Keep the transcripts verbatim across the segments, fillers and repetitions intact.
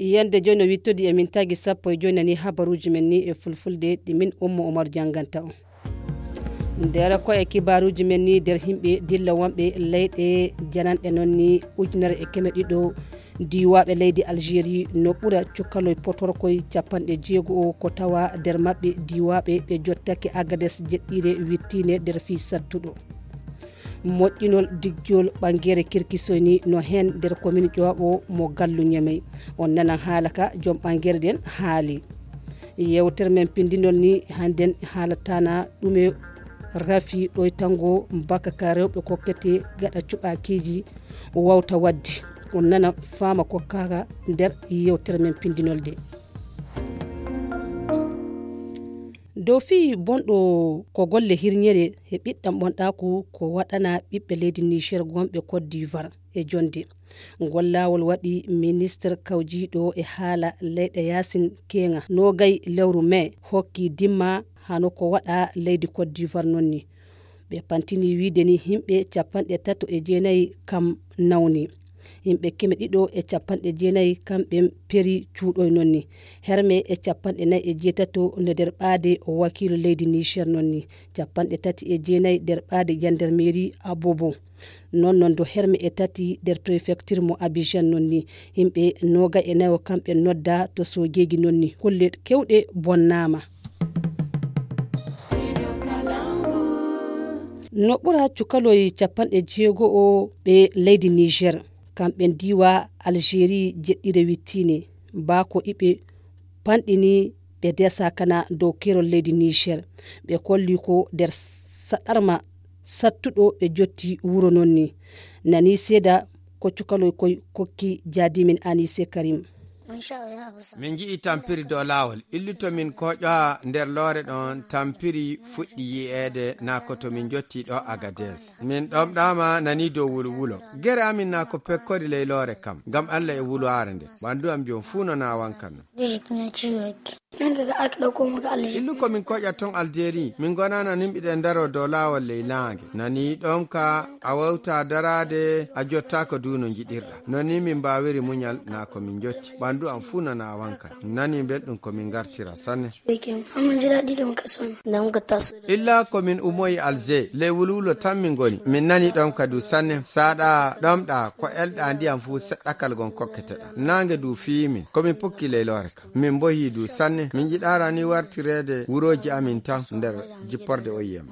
Yande jooni no wittodi e min tagi sappo e jooni nani habaruuji men ni e fulfulde ɗi min Ummu Umar jannganta on. Nder ko e kibaaruuji men ni nder himɓe dilla wonɓe leyɗe jananɗe noon ni ujunere e keme ɗiɗo diiwaaɓe leydi Algérie no ɓura cukaloy potorkoy capanɗe jeego o ko tawa nder maɓɓe diiwaaɓe ɓe jottake Agades jeɗɗiire wittiinde nder fii sattuɗo. Moƴƴinol digjol ɓanngere kirkisoy ni no heen nder komin ƴooɓo mo gallu ñemey. On nanan haala ka joom ɓanngere ɗen haali. Yewtere men pindinol ni hannden haalatana ɗume rafi ɗoytango mbaka ka rewɓe kokkete gaɗa cuɓakiiji wawta waddi. On nana faama kokkaka nder yewtere men pindinol de. Dow fii bonɗo ko golle hirñere e ɓiɗɗam ɓonɗaaku ko waɗana ɓiɓɓe leydi Niger gonɓe Côte d'Ivoire e jonde. Ngol laawol waɗi ministre kawjiiɗo e haala leyɗe yaasin keeŋa noogay lewru mee hokki dimma hano ko waɗa leydi Côte d'Ivoire noon ni. Ɓe pantini wiide ni himɓe capanɗe tato e jeenayi kam nawni. Yimɓe keme ɗiɗo e capanɗe jeenayi kamɓe peri cuuɗoy noon ni. Herme e capanɗe nayi e jeetato no nder ɓaade wakiilu leydi Niger noon ni. Capanɗe tati e jeenayi nder ɓaade jandarmeri Abobo. Noon noon do herme e tati nder prefecture mo Abidjan noon ni. Yimɓe nooga e nayo kamɓe nodda to soojeeji noon ni. Kulle kewɗe bonnaama. No ɓura cukaloy capanɗe jeego o ɓe leydi Niger. Kamɓe diiwa Algérie jeɗɗire wittiine. Baa ko iɓe panɗini ɓe desa kana dow keerol leydi Niger. Ɓe kolli ko nder saɗarma sattuɗo ɓe jotti wuro noon ni. Nani seeda ko cukaloy koy kokki jaadimin Anise Karim. Min nji'i tampiri dow laawol. Illuto min kooƴowa nder loore ɗon tampiri fuɗɗi yi'eede naa ko to min njotti ɗo Agades. Min ɗomɗaama nani dow wulwulo. Gere amin naa ko pekkori ley loore kam, ngam Allah e wulwaare nde. Ɓanndu am jom fuu no naawankan. Illu ko min kooƴa ton Algérie, min ngonana nimɓiɗen ndaro dow laawol ley naange. Nani ɗon ka a wawta daraade a jottaako du no njiɗirɗa. Non ni min mbaawiri muñal naa ko min njotti. Ɓanndu am fuu no naawankan. Nani belɗum ko min ngartira sanne. Illa ko min umoyi Alger, ley wulwulo tan min ngoni. Min nani ɗon ka du sanne. Saaɗa ɗomɗa ko elɗa ndiyam fuu seɗɗakal gon kokketeɗa. Naange du fiyi min. Ko min pukki ley loore ka. Min mbohi du sanne. Min njiɗaara ni wartireede wurooji amin tan nder jipporde O I M.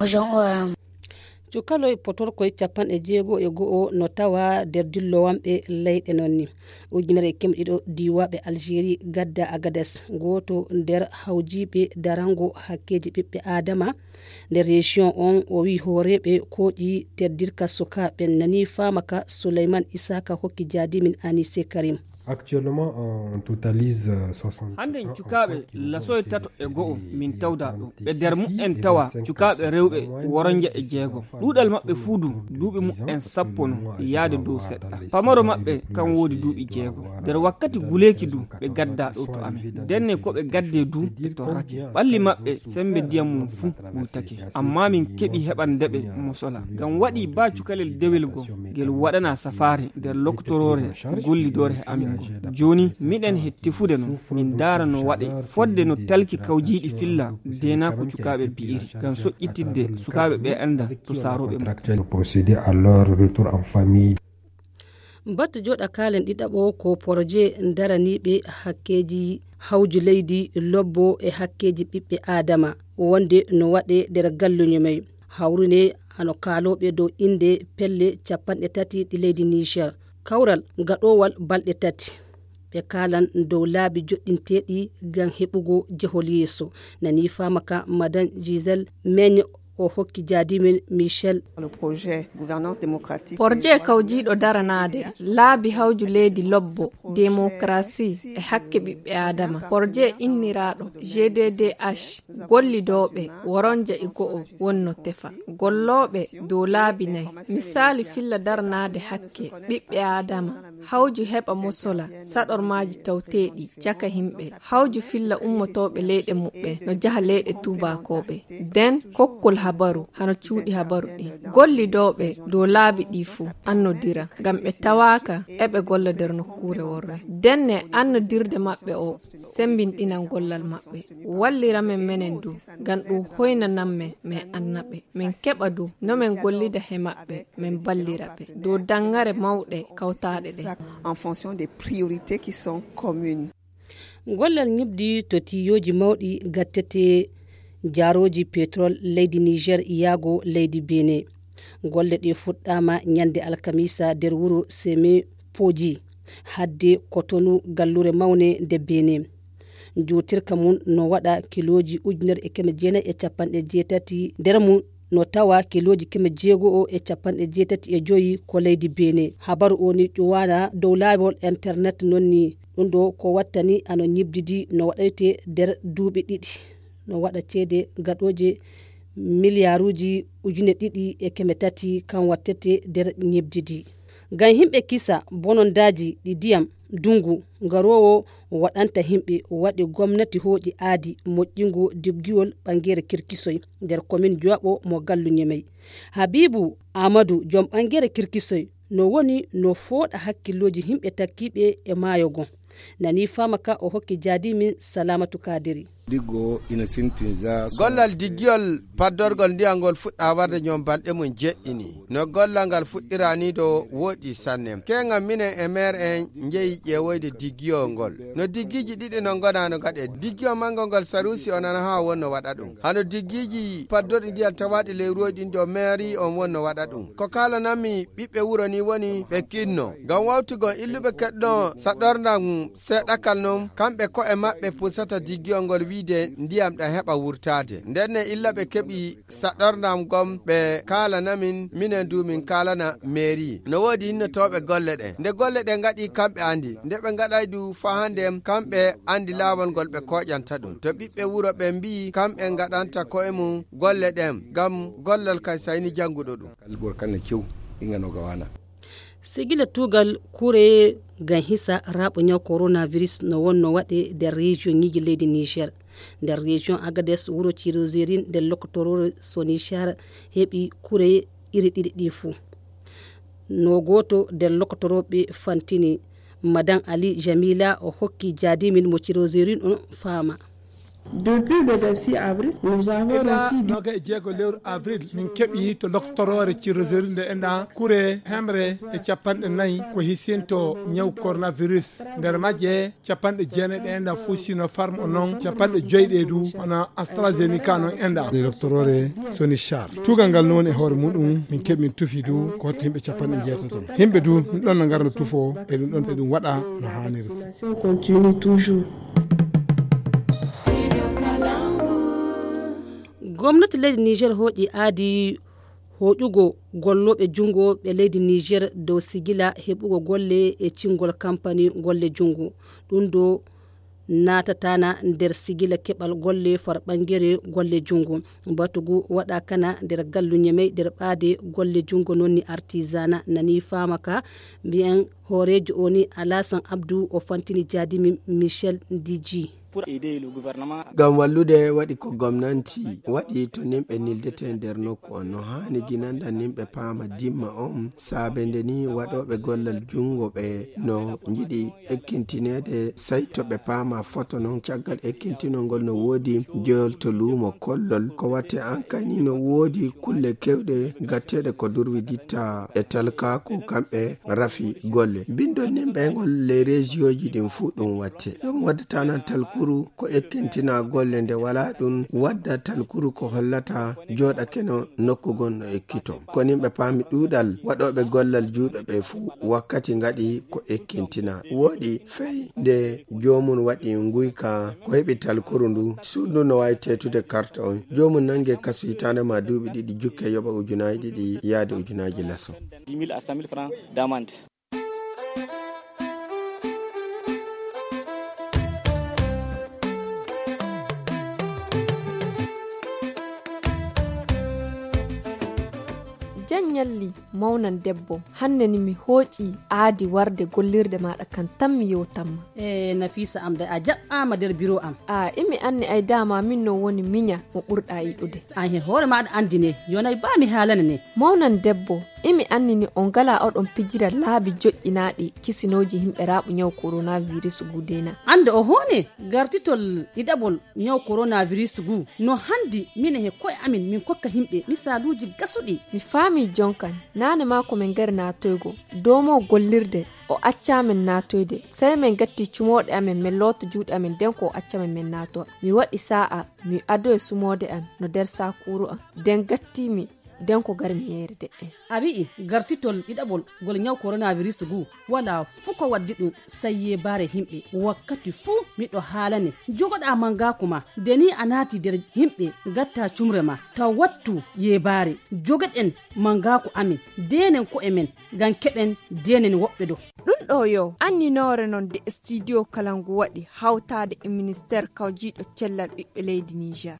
Cukaloy potorkoy capanɗe jeego e go'o no tawa nder dillowanɓe leyɗe noon ni. Ujunere e keme ɗiɗo diiwaaɓe Algérie gadda Agades, gooto nder hawjiiɓe darango hakkeeji ɓiɓɓe Aadama nder région on, o wi'i hooreeɓe kooƴi teddirka sukaaɓe nani faama ka Souleymane Isaka hokki jaadimin Anise Karim. Actuellement, on totalise, euh, soixante. Hannden cukaaɓe lasoy tato e go'o min tawda ɗo. Ɓe nder mu'en tawa cukaaɓe rewɓe woronja e jeego. Ɗuuɗal maɓɓe fuu du duuɓi mu'en sappo no yaade dow seɗɗa. Pamaro maɓɓe kan woodi duuɓi jeego. Nder wakkati guleeki du ɓe gadda ɗo to amen. Denne ko ɓe gadde du ɓe torrake. Ɓalli maɓɓe sembe ndiyam mum fuu wultake. Amma min keɓi heɓande ɓe mosola. Ngam waɗi ba cukalel dewel go ngel waɗana safaare nder lokotoroore gollidoore he amin ngo. Jooni miɗen he tefude no min ndaara no waɗe fodde no talki kawjiiɗi filla deenaa ko cukaaɓe bi'iri ngam soƴƴitidde sukaaɓe ɓe annda to saarooɓe mum. Procéder à leur retour en famille. Batu jooɗa kaalen ɗiɗaɓo ko poroje daraniiɓe hakkeeji hawju leydi lobbo e hakkeeji ɓiɓɓe Aadama wonde no waɗe nder galluño may. Hawrune hano kaalooɓe dow innde pelle capanɗe tati ɗi leydi Niger. Kawral gaɗoowal balɗe tati. Ɓe kaalan dow laabi joɗɗinteeɗi ngam heɓugo jehol yeeso. Nani faama ka Madan Giselle Megne o hokki jaadimen Michel. Porje kawjiiɗo daranaade laabi hawju leydi lobbo, démocratie e hakke ɓiɓɓe Aadama. Porje inniraaɗo G D D H, gollidooɓe woronja e go'o wonno tefa. Gollooɓe dow laabi nay. Misaali filla daranaade hakke ɓiɓɓe Aadama. Hawju heɓa mosola saɗormaaji tawteeɗi caka himɓe. Hawju filla ummotooɓe leyɗe muɓɓe no jaha leyɗe tuubakooɓe. Den kokkol habaru hano cuuɗi habaru ɗi. Gollidooɓe dow laabi ɗi fuu annodira, ngam ɓe tawaaka eɓe golla nder nokkuure worre. Denne annodirde maɓɓe o sembinɗinan gollal maɓɓe. Wallira men menen du, ngam ɗum hoynanan men, men anna ɓe. Men keɓa du no men gollida he maɓɓe, men ballira ɓe. Dow danŋare mawɗe kawtaaɗe ɗen. En fonction des priorités qui sont communes. Gollal ñiɓdi to tiiyooji mawɗi gattete jaarooji petrol leydi Niger yaago leydi Benin. Golle ɗe fuɗɗaama ñande alkamisa nder wuro Seme Poji, hadde Kotonu, gallure mawne nde Benin. Njuutirka mum no waɗa kilooji ujunere e keme jeenayi e capanɗe jeetati, nder mum no tawa kilooji keme jeego e capanɗe jeetati e joyi ko leydi Benin. Habaru o ni ƴuwaana dow laawol internet non ni. Ɗum ɗo ko wattani ano ñiɓdidi no waɗayte nder duuɓi ɗiɗi. No waɗa ceede gaɗooje miliyaaruuji ujune ɗiɗi e keme tati kan wattete nder ñiɓdidi. Ngam yimɓe kisa bonondaaji ɗi ndiyam ndungu garoowo waɗanta yimɓe, waɗi gomnati hooƴi aadi moƴƴingo diggiwol ɓangere Kirkisoy nder komin Jowaɓo mo Gallu Ñemey. Habibu Amadu, joom ɓangere Kirkisoy, no woni no fooɗa hakkillooji yimɓe takkiiɓe e maayo gon. Nani faama ka o hokki jaadimin Salamatu Kadiri. Diggo ina sinti za so- Gollal diggiyol paddorgol ndiyam ngol fuɗɗa warde ñoom balɗe mum jeɗɗi ni. No gollal ngal fuɗɗira ni do wooɗi sanne. Keŋal minen e meer en njeyi ƴeewoyde diggiyol ngol. No diggiji ɗiɗi no ngona no gaɗe. Diggiyol manngo ngol Sarusi o nana haa wonno waɗa ɗum. Hano diggiji paddoɗi ndiyam tawaɗi ley ruwoy ɗin do meeri on wonno waɗa ɗum. Ko kaalanammi ɓiɓɓe wuro ni woni ɓe kinno. Ngam wawtugol illuɓe keɗɗo saɗorndam seeɗakal non, kamɓe ko'e maɓɓe pusata diggiyol ngol wiide ndiyam ɗam heɓa wurtaade. Nden ne illa ɓe keɓi saɗorndam gom ɓe kaalanamin, minen du min kaalana meeri. No woodi innotooɓe golle ɗen. Nde golle ɗen ngaɗi kamɓe andi. Nde ɓe ngaɗay du faa hande kamɓe andi laawol ngol ɓe kooƴanta ɗum. To ɓiɓɓe wuro ɓen mbi'i kamɓe ngaɗanta ko'e mum golle ɗen, ngam gollal kay sayni jannguɗo ɗum. Kal ɓor kan ne cew, inga no gawana. Sigila tuugal kure ngam hisa raaɓo ñaw coronavirus no wonno waɗe nder région ñiiji leydi Niger. Nder région Agadez, wuro Cirozerin nder lokotoroore Sonishar heɓi kure iri ɗiɗi ɗi fuu. No gooto nder lokotorooɓe fantini, Madan Ali Jamila, o hokki jaadimin mo Cirozerin on faama. Depuis le vingt-six avril, nous avons Ila reçu dix noga e jeego lewru avril, min keɓi to loktoroore Cirozerin nde enɗa kure hemre e capanɗe nayi ko hisinto ñaw coronavirus. Nder majje, capanɗe jeenayi ɗe enɗa fuu Sinopharm o non, capanɗe joyi ɗe du hono AstraZeneca non enɗa. Nde loktoroore Sonishar. Tuugal ngal no woni e hoore muɗum, min keɓi min tufi du ko hotti yimɓe capanɗe jeetato. Yimɓe du, ɗum ɗon no ngara no tufo, e ɗum ɗon e ɗum waɗa no haaniri. Continue toujours. Gomnati leydi Niger hooƴi aadi hooƴugo gollooɓe junngo ɓe leydi Niger dow sigila heɓugo golle e cingol kampani golle junngo. Ɗum ɗo naatatana nder sigila keɓal golle far ɓangere golle junngo. Batugu waɗa kana nder gallu Ñemey nder ɓaade golle junngo non ni artisana nani faama ka mbiyen hooreejo o ni Alasan Abdu o fantini jaadimi Michel Diji. Ngam wallude waɗi ko gomnanti waɗi to nimɓe nildete nder nokku on no haani ginanda nimɓe paama dimma on saabe nde ni waɗooɓe gollal junngo ɓe no njiɗi ekkintineede, sey to ɓe paama foto non. Caggal ekkintinol ngol no woodi jeyol to luumo kollol. Ko watte an kay ni no woodi kulle kewɗe gatteeɗe ko durwiditta e talkaaku kamɓe rafi golle. Bindol nimɓe ngol ley reesiyooji ɗin fuu ɗum watte. Ɗum waddata nan talkuru ko ekkintina golle nde walaa ɗum wadda talkuru ko hollata jooɗake no nokku gon no ekkito. Ko nimɓe paami ɗuuɗal waɗooɓe gollal juuɗo ɓe fuu wakkati ngaɗi ko ekkintina. Wooɗi fey nde joomum waɗi nguyka ko heɓi talkuru ndu, suudu no waawi teetude karta on. Joomum nange kasu hitaande ma duuɓi ɗiɗi jukke yoɓa ujunaaji ɗiɗi yaade ujunaaji laso. Dix mille à cent mille francs d'amende. Cen ñalli, mawnan debbo, hannde ni mi hooƴi aadi warde gollirde maaɗa kan tan mi yewtan ma. E Nafiisa am de, a jaɓɓaama nder biro am. A imi anni ay dama min no woni miña mo ɓurɗa yiɗude. An he hoore maaɗa anndi ne, yonay ba mi haalane ne. Mawnan debbo, imi anni ni on ngala oɗon pijira laabi joƴƴinaaɗi kisinooji himɓe raaɓu ñaw coronavirus gudena. Annde o hoone gartitol ɗiɗaɓol ñaw coronavirus gu no hanndi mine he koye amin min kokka himɓe misaaluuji gasuɗi. Mi faami jonkan, naane maa ko min ngari naatoygo, doomo gollirde, o accaa min naatoyde. Sey min gatti cumooɗe amin, min loota juuɗe amin, nden ko o acca min min naatowa. Mi waɗi saa'a, mi adoye sumoode am, no nder saakuuru am. Nden gatti mi, nden ko gar mi yeere de'en. A wi'i gartitol ɗiɗaɓol ngol ñaw coronavirus gu, walaa fuu ko waddi ɗum, sey yeebaare himɓe. Wakkati fuu miɗo haalane, jogoɗaa mangaaku ma, de ni a naati nder himɓe, gatta cumre ma, taw wattu yeebaare. Jogoɗen mangaaku amin, deenen ko'e men, ngam keɓen deenen woɓɓe do. Ɗum ɗo yo anninoore non de studio kala ngu waɗi hawtaade e ministeer kawjiiɗo cellal ɓiɓɓe leydi Niger.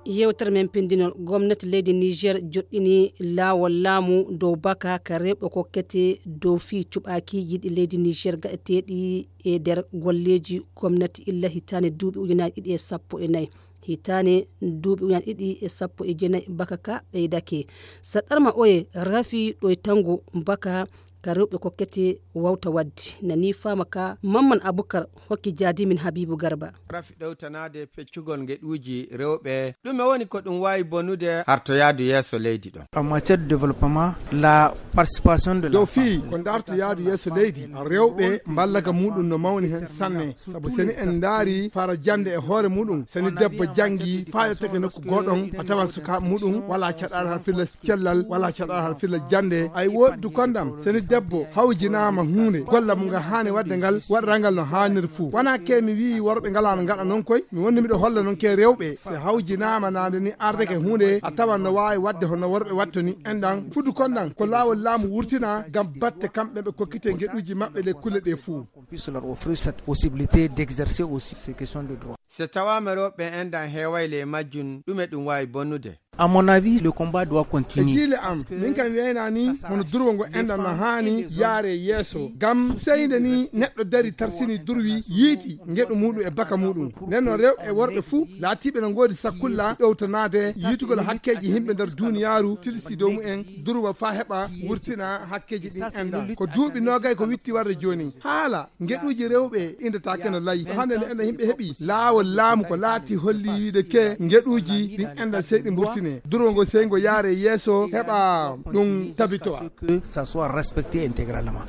Yewtere men pindinol, gomnati leydi Niger joɗɗini laawol laamu dow baka ka rewɓe kokkete dow fii cuɓaakiiji ɗi leydi Niger gaɗeteeɗi e nder golleeji gomnati illa hitaande duuɓi ujunaaji ɗiɗi e sappo e nayi. Hitaande duuɓi ujunaaji ɗiɗi e sappo e jeenayi baka ka ɓeydake. Saɗɗarma oye rafi ɗoytango baka ka rewɓe kokkete wawta wadde. Nani faama ka Mamman Abukar hokki jaadimin Habibu Garba. Rafi ɗowtanaade peccugol ngeɗuuji rewɓe. Ɗume woni ko ɗum waawi bonude hartoyaadu yeeso leydi ɗon? En matière de développement, la participation de la dow fii ko ndarto yaadu yeeso leydi, rewɓe mballaka muɗum no mawni heen sanne. Sabu seni en ndaari fara jannde e hoore muɗum, seni debbo janngi faa yottake nokku gooɗon, a tawan sukaaɓe muɗum walaa caɗaal har filla cellal, walaa caɗaal har filla jannde. Ay woodi dukondam, seni debbo hawjinaama huunde, golla mo nga haani waɗde ngal, waɗra ngal no haanir fuu. Wanaa ke mi wi'i worɓe ngalaa no ngaɗa noon koy, mi wonni miɗo holla noon ke rewɓe, si hawjinaama naande ni ardeke huunde, a tawan no waawi waɗde hono worɓe waɗto ni. Enɗan, fuu dukondam, ko laawol laamu wurtina ngam batte kamɓe ɓe kokkite ngeɗuuji maɓɓe ɗe kulle ɗe fuu. Qu'on puisse leur offrir cette possibilité d'exercer aussi ces questions de droit. So tawaama rewɓe enɗan heeway le majjum, ɗume ɗum waawi bonnude? À mon avis, le combat doit e continuer. Jiile am, min kam wiyayna ni hono durwo ngo enɗan no haani yaare yeeso. Ngam seyde ni neɗɗo dari tarsini durwi yiiti ngeɗu muɗum e baka muɗum. Nden no rewɓe e worɓe fuu laatiiɓe no ngoodi sakkulla ɗowtanaade yiitugol hakkeeji yimɓe nder duuniyaaru tilsi dow mumen durwa faa heɓa wurtina hakkeeji ɗin enɗan. Ko duuɓi noogay ko witti warde jooni. Haala ngeɗuuji rewɓe indataake no layi. Hannde ne enen yimɓe heɓi laawol laamu ko laati holli wiide ke ngeɗuuji ɗin enɗan sey ɗi mburtine. Durwo ngo sey ngo yaare yeeso heɓa ɗum tabitowa. Que ça soit respecté intégralement.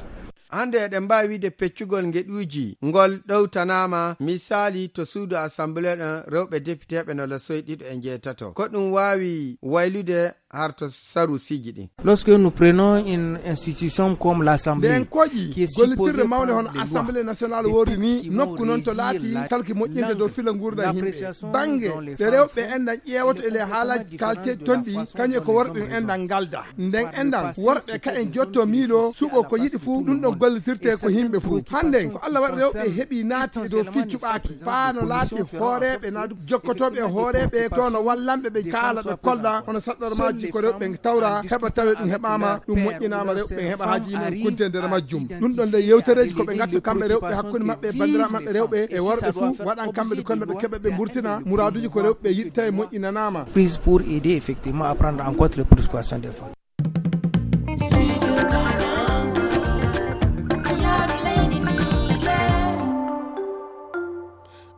Hannde eɗen mbaawi wiide peccugol ngeɗuuji ngol ɗowtanaama, misaali to suudu assemblée ɗon rewɓe depiteeɓe no lasoyi ɗiɗo e njeetato. Ko ɗum waawi waylude har to sarusiiji ɗin. Lorsque nous prenons une institution comme l'Assemblée, nden koƴi gollitirde mawnde hono Assemblée nationale worri ni, nokku noon to laati kalki moƴƴinte dow fila nguurndam yimɓe. Bannge ɗe rewɓe enɗan ƴeewoto e ley haalaaji kaalteeɗi toon ɗi, kañum e ko worɓe enɗan ngalda. Nden enɗan worɓe ka en jotto miilo suɓo ko yiɗi fuu, ɗum ɗon gollitirte ko yimɓe fuu. Hannden ko Allah waɗi rewɓe heɓi naati e dow fii cuɓaaki, faa no laati hooreeɓe na jokkotooɓe e hooreeɓe to no wallanɓe ɓe kaala ɓe kolla hono saɗɗormaaji ko rewɓe tawra heɓa tawe ɗum heɓaama, ɗum moƴƴinaama rewɓe heɓa haaji yimɓe kuntee nder majjum. Ɗum ɗon nde yewtereeji ko ɓe ngattu kamɓe rewɓe hakkunde maɓɓe e banndiraaɓe maɓɓe rewɓe e worɓe fuu waɗan kamɓe ɗum kono ɓe keɓa ɓe mburtina muraaduuji ko rewɓe yiɗta e moƴƴinanaama. Prise pour aider effectivement à prendre en compte les préoccupations des femmes.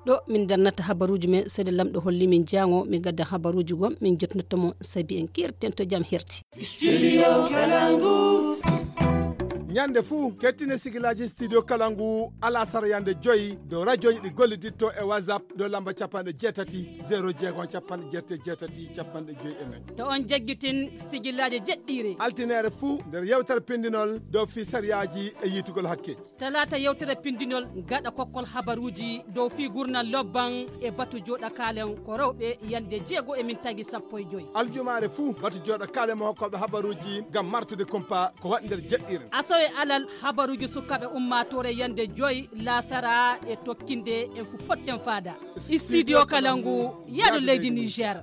Ɗo min darnata habaruuji men, seede lamɗo holli min jaango, min gadda habaruuji gom, min jotnoto mo sabi en kirten to jam herti. Studio Kalangu. Ñande fuu, kettine sigilaaji Studio Kalangu, alasara yande joyi, dow rajooji ɗi golliditto e WhatsApp, dow lamba capanɗe jeetati, zéro jeego, capanɗe jeetati, capanɗe joyi e nayi. To on jaggitin sigilaaji jeɗɗiire. Altineere fuu, nder yewtere pindinol, dow fii sariyaaji e yiitugol hakkeeji. Talaata yewtere pindinol gaɗa kokkol habaruuji dow fii gurnal lobban e batu jooɗa kaalen ko rewɓe yande jeego e min tagi sappo e joyi. Aljumaare fuu batu jooɗa kaalen mo hokkooɓe habaruuji ngam martude kumpa ko waɗi nder jeɗɗiire. Asawe Alal habaruuji sukaaɓe ummaatoore yande joy laasara e tokkinde en ko potten faada. Studio Kalangu, yaado leydi Niger.